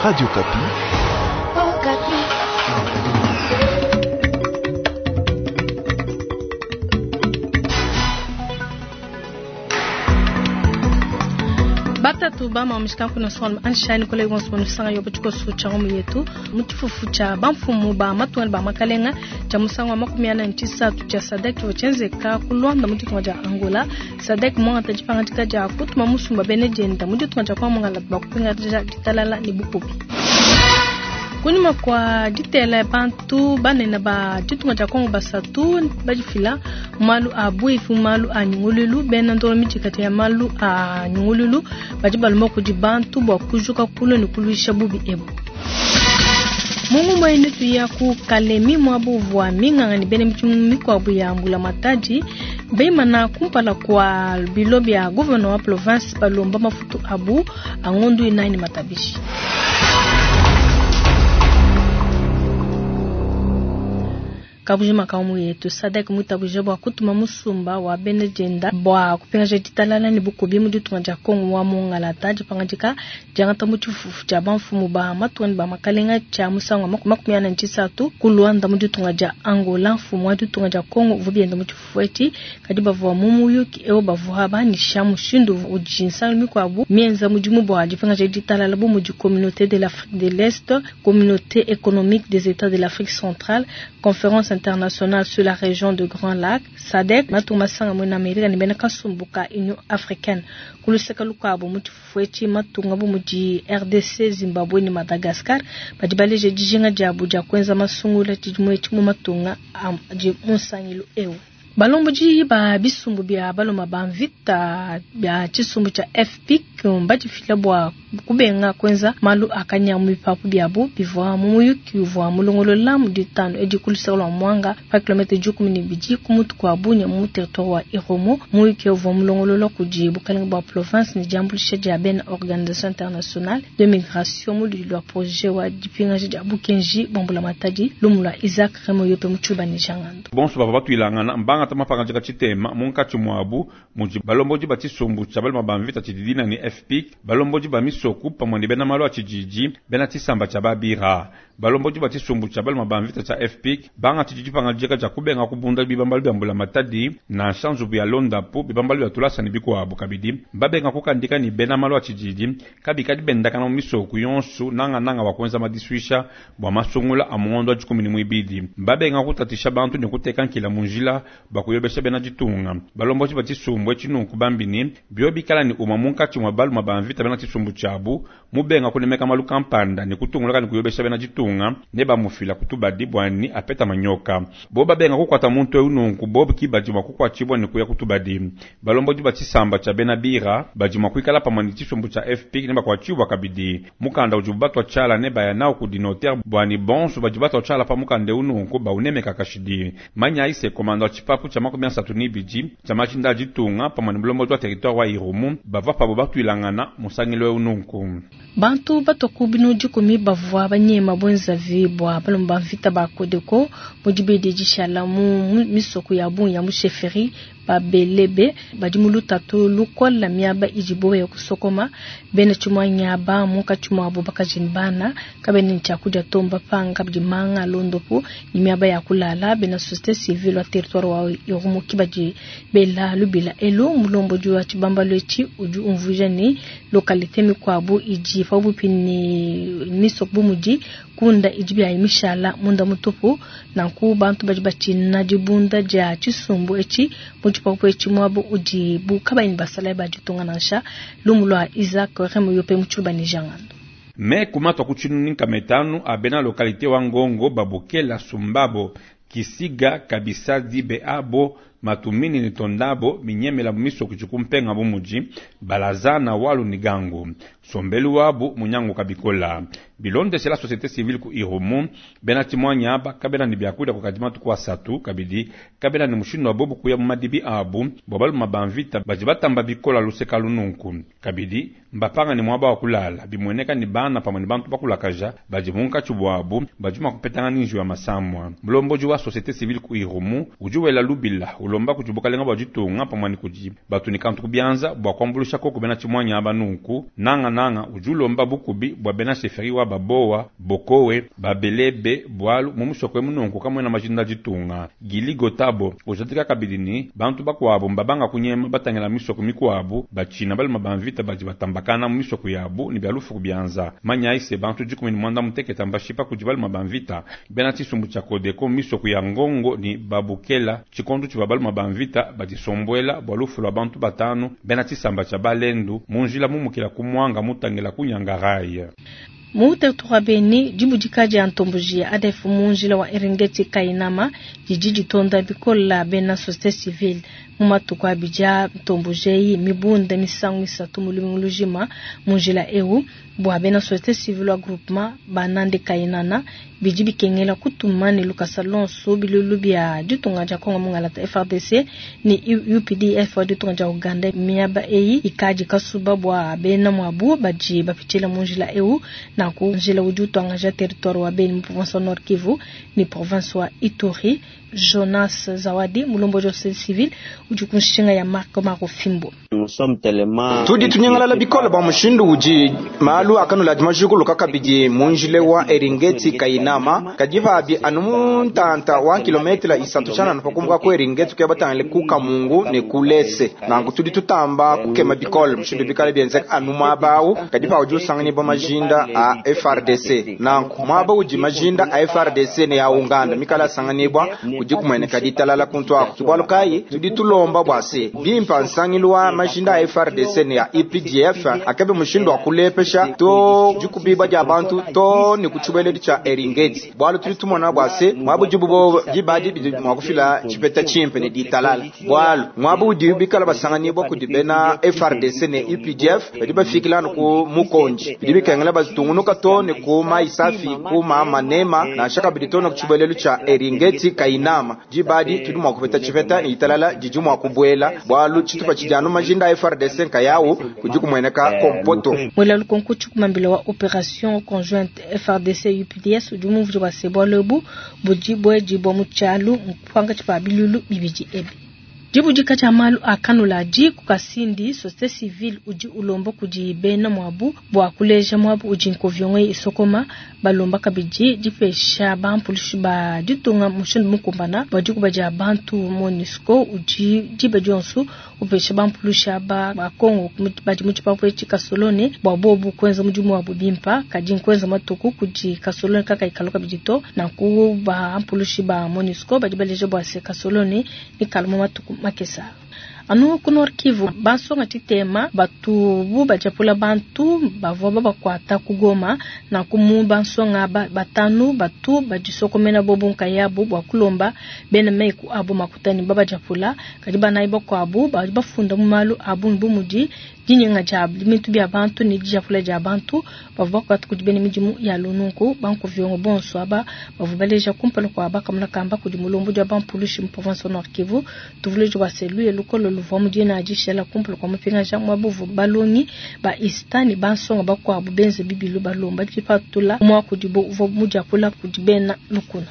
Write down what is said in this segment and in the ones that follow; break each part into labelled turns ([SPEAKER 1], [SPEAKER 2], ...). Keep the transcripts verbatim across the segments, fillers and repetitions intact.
[SPEAKER 1] Radio Okapi.
[SPEAKER 2] Okapi.
[SPEAKER 3] Batatu bama mishikanku na son anshani kole gonso sanga yobo tshikoso tsha ngomu yetu mu tshifufu tsha bamfumu ba matunga ba makalenga tsha musangu wa makumi ana ne tshisatu tsha SADC tshivua tshienzeka ku Luanda mu ditunga dia Angola. SADC muangata dipangadika dia kutuma musumba bene dienda mu ditunga dia kuamongala bakupingaja ditalala ne bukubi. Kunyima kwa ditela bantu banene ba ditunga dia Kongo basatu badifila malu a buifi malu a nyungululu bena ndolo midikati ya malu a nyungululu badi balomba kudi bantu bua kujuka kulu ne kuluisha bubi ebu. Mungu mwene tuya ku Kalemi mwabu vua minganga ne bena midimu mikuabu ya mbula matadi beimana kumpala kwa bilo bya gouverneur wa province balomba mafutu abu angondu inayi matabishi. Kabujima kaumu yetu SADC mutabuje bua kutuma musumba wa bene dienda bua kupingaja ditalala ne bukubi mu ditunga dia Kongo wa mongalata dipangadika diangata mu tshifufu tshia bamfumu ba matunga ne ba makalenga tshia musangu wa makumi ana ne tshisatu ku Luanda mu ditunga dia Angola. Mfumu wa ditunga dia Kongo uvua bienda mu tshifufu etshi kadi bavua mu muyuki eu bavua banisha mushindu udi nsangilu mikuabu mienza mudimu bua dipingaja ditalala bu mudi Communauté de l'Afrique de l'Est, Communauté économique des États de l'Afrique centrale, Conférence internationale sur la région de Grand Lac, SADC, matunga masanga mwena Amerika ne bena kasumbu ka Union africaine. Kuluseka lukuabu mu tshifufu etshi matunga bu mudi R D C, Zimbabwe ne Madagascar badi baleje dijinga diabu dia kuenza masungula tshidimu etshi mu matunga adi mu nsangilu eu. Balombodi ba bisumbu bia baloma ba mvita bia tshisumbu tshia F P I C mbadifila bua kubenga kuenza malu akanya mu bipapu biabu bivua mu muyuki uvua mulongolola mu ditanu edi ku luseke lua Mwanga pa kilomètre dikumi ne bibidi ku mutu kua Bunia mu territoire wa Irumu. Muyuki uvua mulongolola kudi bukalenge bua province ne diambuluisha dia bena Organisation Internationale de Migration mu ludi lua projet wa dipingaja dia bukenji bua mbulamatadi lumu lua Isaac Remoyope mu Tshiluba ne Jangando.
[SPEAKER 4] Bonso bavua batuilangana mbanga mapangajika tshitema munkatshi muabu mudi balombodi ba tshisumbu tshia baloma ba mvita tshididina ne F P I C, balombodi ba misoku pamue ne bena malu a tshididi, bena tshisamba tshia babira. Balombodi ba tshisumbu tshia baloma ba mvita tshia F P I C banga tshidi dipangajika tshia kubenga kubunda bibambalu bia mbulamatadi nansha nzubu ya londapu bibambalu bia tulasa ne bikuabu kabidi babenga kukandika ne bena malu a tshididi kabikadi bendakana mu misoku yonsu nangananga wa kuenza madisuisha bua masungula a muondo wa dikumi ne muibidi. Babenga kutatisha bantu ne kuteka nkila mu njila bakuyobesha bena ditunga. Balombodi ba tshisumbu etshi nunku bambini bio bikala ni umwa munkatshi mwa baluma ba mvita bena tshisumbu tshiabu mubenga kunemeka malu kampanda ne kutungulaka ne kuyobesha bena ditunga ne bamufila kutubadi bwani apeta manyoka. Bo babenga kukwata muntu eu nunku bobu kibadi mwa kukwatshibwa ne kuya kutubadi. Balombodi ba tshisamba tshia bena bira badi mwa kuikala pamue ne tshisumbu tshia F P ne bakwatshibwa kabidi. Mukanda udi batwa tshiala ne baya nawu kudi notaire bwani bonso badi batwa tshiala pa mukanda eu nunku baunemeka kashidi. Manya ise komanda wa tshipapu tshia makumi asatu ne ibidi tshia majinda a ditunga pamue ne mulombodi wa territoire wa Irumu bavua pabo batuilangana musangilo eu nunku.
[SPEAKER 3] Bantu batoku binu dikumi bavua banyema bwenzavi bua balomba mvita ba Kodeko mu dibedi dishala mu misoko ya bungi ya mu chefferie babelebe badi mu lutatu lukola miaba idibo ya kusokoma bena tshimwanya ba munkatshi muabu bakaji ne bana kabene tshiakudia tomba panga badi manga londopu ni miaba ya kulala bena société civile wa territoire wa Irumu kibadi bela lubila elo mulombodi wa tshibambalo etshi udi umvuija ni localité mikuabu idi pabupi ni misoko bu mudi kunda idi bia mishala munda mutupu nanku bantu badi batshina dibunda dia tshisumbu etshi mu tshipapu etshi muabu udi bu kabayi basala ba ditunga nansha lumu lua Isaac Remoyope mu Tshiluba ne Jangando.
[SPEAKER 4] Me kumatwa ku tshinunu metanu abena localité wa Ngongo babukela Sumbabo Kisiga kabisa dibe abo matumini ni tondabo minyemela miso kuchikumpenga bumuji balazana walu ni gangu sombelu wabu munyangu kabikola bilonde la société civile ku Irumu bena timwanya aba kabena ni byakuda kukadima tukwa satu kabidi kabena ni mushindo wa bobu kuya madibi abu bobalu mabanvita baji batamba bikola luseka lununku kabidi mbapanga ni mwaba wa kulala bimweneka ni bana pamwe ni bantu bakulakaja baji munka chubwabu bajuma kupetanga ninju ya masamwa mlomboji wa société civile ku Irumu ujuwela lubila Ulomba kudi bukalenga bua ditunga pamue ne kudi batu ne kantu ku bianza bua kuambuluisha koko bena tshimuanyi aba nunku. Nanga nanga udi ulomba bukubi bua bena chefferie wa babowa, bokowe, babelebe bualu mu musoko emu nunku kamuena majinda ditunga. Gili Gotabo ujadika kabidi ne bantu bakuabu mbabanga kunyema batangila misoko mikuabu batshina baluma ba mvita badi batambakana mu misoko yabu ne bia lufu ku bianza. Manya ise bantu dikumi ne mwanda mutekete mbashipa kudi baluma ba mvita bena tshisumbu tshia Kodeko misoko ya Ngongo ni Babukela tshikondo tshivua baluma ba mvita badisombuela bua lufu lua bantu batanu bena tshisamba tshia Balendu mu njila mumukila ku Mwanga mutangila ku Nyangarai.
[SPEAKER 3] Mu territoire Beni dibudika dia ntomboji ya A D F mu njila wa Eringeti Kainama didi ditonda bikola bena société civile mu matuku abidi a ntomboji eyi mibunda misangu isatu mu lumingu lujima mu njila eu bua bena société civile wa groupement banande Kainana bidi bikengela kutuma ne lukasa lonso bilulu bia ditunga dia Kongo mungalata F R D C ni U P D F wa ditunga dia Uganda miaba eyi ikadi kasuba bua bena mwabu badi bapitshila mu njila eu na ku njila udi utuangaja territoire wa Beni mu province wa Nord Kivu ni province wa Ituri. Jonas Zawadi mulomboji wa société civile udi ku nshinga ya Marc Marofimbo.
[SPEAKER 1] Tudi tunyangalala bikola bua mushindu udi malu akanula dimajikuluka kabidi mu njila wa Eringeti Kainama kadi pabi anu mu ntanta wa kilometre isatu tshianana pakumbuka ku Eringeti kuya batangile ku Kamungu ne ku Lese. Nanku tudi tutamba kukema bikola mushindu bikale bienzeka anu muaba awu kadi pa udi usanganyibwa majinda a F R D C. Nanku muaba udi majinda a F R D C ne ya Uganda mikala asanganyibwa udi kumueneka ditalala kuntu ako. Bualu kayi tudi tulomba bua se bimpa nsangilu wa majinda a F R D C ne ya I P D F akabe mushindu wa kulepesha to dikubiba dia bantu to ne kutshibeledi tshia Eringeti. Bualu tudi tumona bua se muaba udibu bo dibadi bidi mua kufila tshipeta tshimpe ne ditalala. Bualu muaba udi bikala basanganyibwa kudi bena F R D C ne I P D F badi bafikila anu ku Mukonji. Bidi bikengela batungunuka to ne ku Maisafi ku Mama Nema nansha kabidi to ne kutshibelelu tshia Eringeti Kainama. Dibadi tudi mua kupeta tshipeta ne ditalala didi mua kubuela bualu tshitupa tshidi anu majinda a F R D C nkayawu kudi kumueneka kompoto.
[SPEAKER 3] Mwela lukonko tshikumambila wa opération conjointe F R D C U P D S udi mumvudi wa se bualu ebu budi buedi bua mu tshialu mpanga tshipa bilulu bibidi ebi. Dibudika tshia malu a kanula di ku Kasindi société civile udi ulomba kudi bena mwabu bua kuleja mwabu udi nkovyongo isokoma balomba kabidi dipesha bampulushi ba ditunga mushindu mukumbana bua dikuba dia bantu MONUSCO udi diba dionso upesha bampulushi aba ba Kongo badi mu tshipapu etshi Kasolone bua bobu kuenza mudimu wabu bimpa kadi nkuenza matuku kudi Kasolone kaka ikalo kabidi to nanku bampulushi ba MONUSCO badi baleja bua se Kasolone ni kaluma matuku makesa. Anu ku Nord Kivu bansonga tshitema batu bu bajapula bantu bavua babakuata ku Goma na ku mu bansonga ba, batanu batu badisokomena bobu nkayabu bua kulomba bena meku abu makutani babajapula kadi banayi bakuabu badi bafunda mu malu abu bu mudi dinyenga dia bintu bia bantu ne dijapula dia bantu bavua bakuata kudi bena midimu ya lununku bankuvyongo bonso aba bavua baleja kumpala kua bakamuna kamba kudi mulombo dia bampulushi mu province Nord Kivu tuvuleji bua selu ya lukolo luvua mudina adishela kumpala kua mupingaja mwabuvu balongi ba istani bansonga bakuabu benze bibilu balomba dipatula mwa kudibo uvua mudiapula kudi bena lukuna.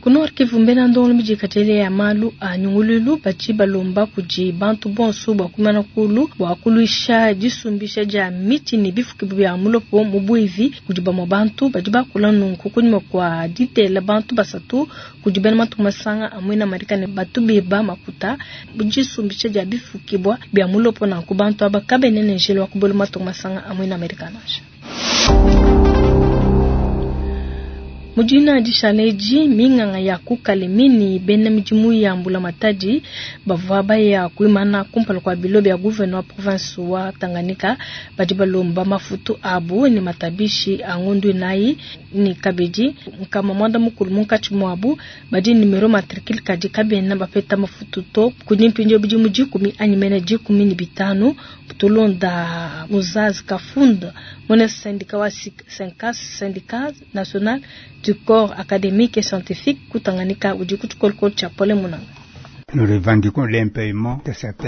[SPEAKER 3] Ku Nord Kivu mbena ndongo midikatele ya malu a nyungululu bachi balomba kudi bantu bonso bua kumana kulu bua kuluisha disumbisha dia miti ne bifuki bia mulopo mu buivi kudi bamwe bantu badi bakula nunku kunyima kwa ditela bantu basatu kudi bena matu masanga amwe na Marekani batu beba makuta disumbisha dia bifuki bia mulopo na ku bantu aba kabenene njelo wa kubolo matu masanga amwe na Marekani. Mujina dishaleji minganga ya kukalemini bena midimu ya mbula matadi bavua baya kuimana kumpala kwa bilo bya gouverneur wa province wa Tanganyika badi balomba mafutu abu ni matabishi angundu nayi ni kabidi nkama mwanda mukulu munkatshi mwabu badi numero matricule kadi kabena bapeta mafutu to kudi mpindio bidi mu dikumi anyi mene dikumi ni bitanu tulonda muzazi kafunda mwene syndicat wa syndicat syndicat national du corps académique et scientifique ku Tanganyika udi ku tshikolo tshia Pole Munanga.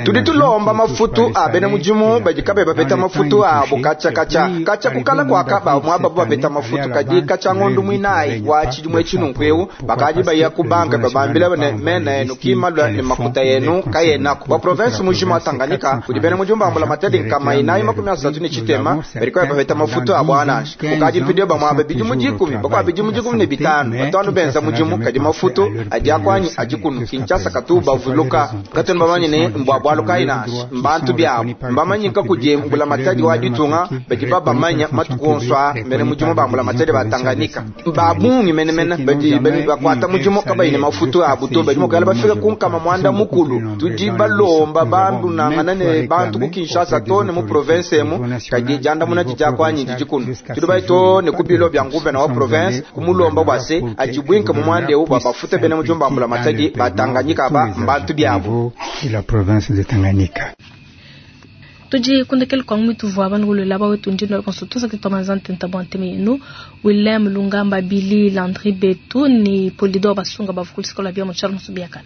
[SPEAKER 1] Tudi tulomba mafutu a bena mudimu badi kabe bapeta mafutu abo katshia katshia katshia kukala kuaka ba muaba bapeta mafutu kadi katshia ngondu muinayi wa tshidimu etshi nunku eu bakadi baya ku banka babambila ne mena yenu kimalua ne makuta yenu kayenako wa province mujima wa Tanganyika kudi bena mudimu ba mbulamatadi nkama inayi makumi asatu ne tshitema badi kabe bapeta mafutu abo anansha kukadi mpidio ba muaba bidimu dikumi bakwa bidimu dikumi ne bitanu batanu benza mudimu kadi mafutu adi akwanyi adi kunu Kinshasa katu bavuluka katunu bamanye ne mbwa bwalu kayi nansha mbantu byabo mbamanyika kudi mbulamatadi wa ditunga badi babamanya matuku onso a mene mudimu ba mbulamatadi ba Tanganyika babungi menemene badi bakwata mudimu kabayi ne mafutu abu to badi mukala bafika kunkama mwanda mukulu tudi balomba bantu nangana ne bantu ku Kinshasa to ne mu province emu kadi jandamuna dijakwanyi didi kunu tudi bayi to ne ku bilo bya nguvena wa province kumulomba bwa se ajibwinka mu mwanda eu bwa bafuta bene mudimu ba mbulamatadi ba Tanganyika ba mbantu byabo
[SPEAKER 5] la province de Tanganyika.
[SPEAKER 3] Tudi kundekele kwa mwitu vwa banu gulo laba wetu ndino konso tusa kitomanza ntenta bwa nteme yenu Willem Lungamba Billy Landry Betu ni Polidor Basunga bavukul sikola bia muchalo musubiakana.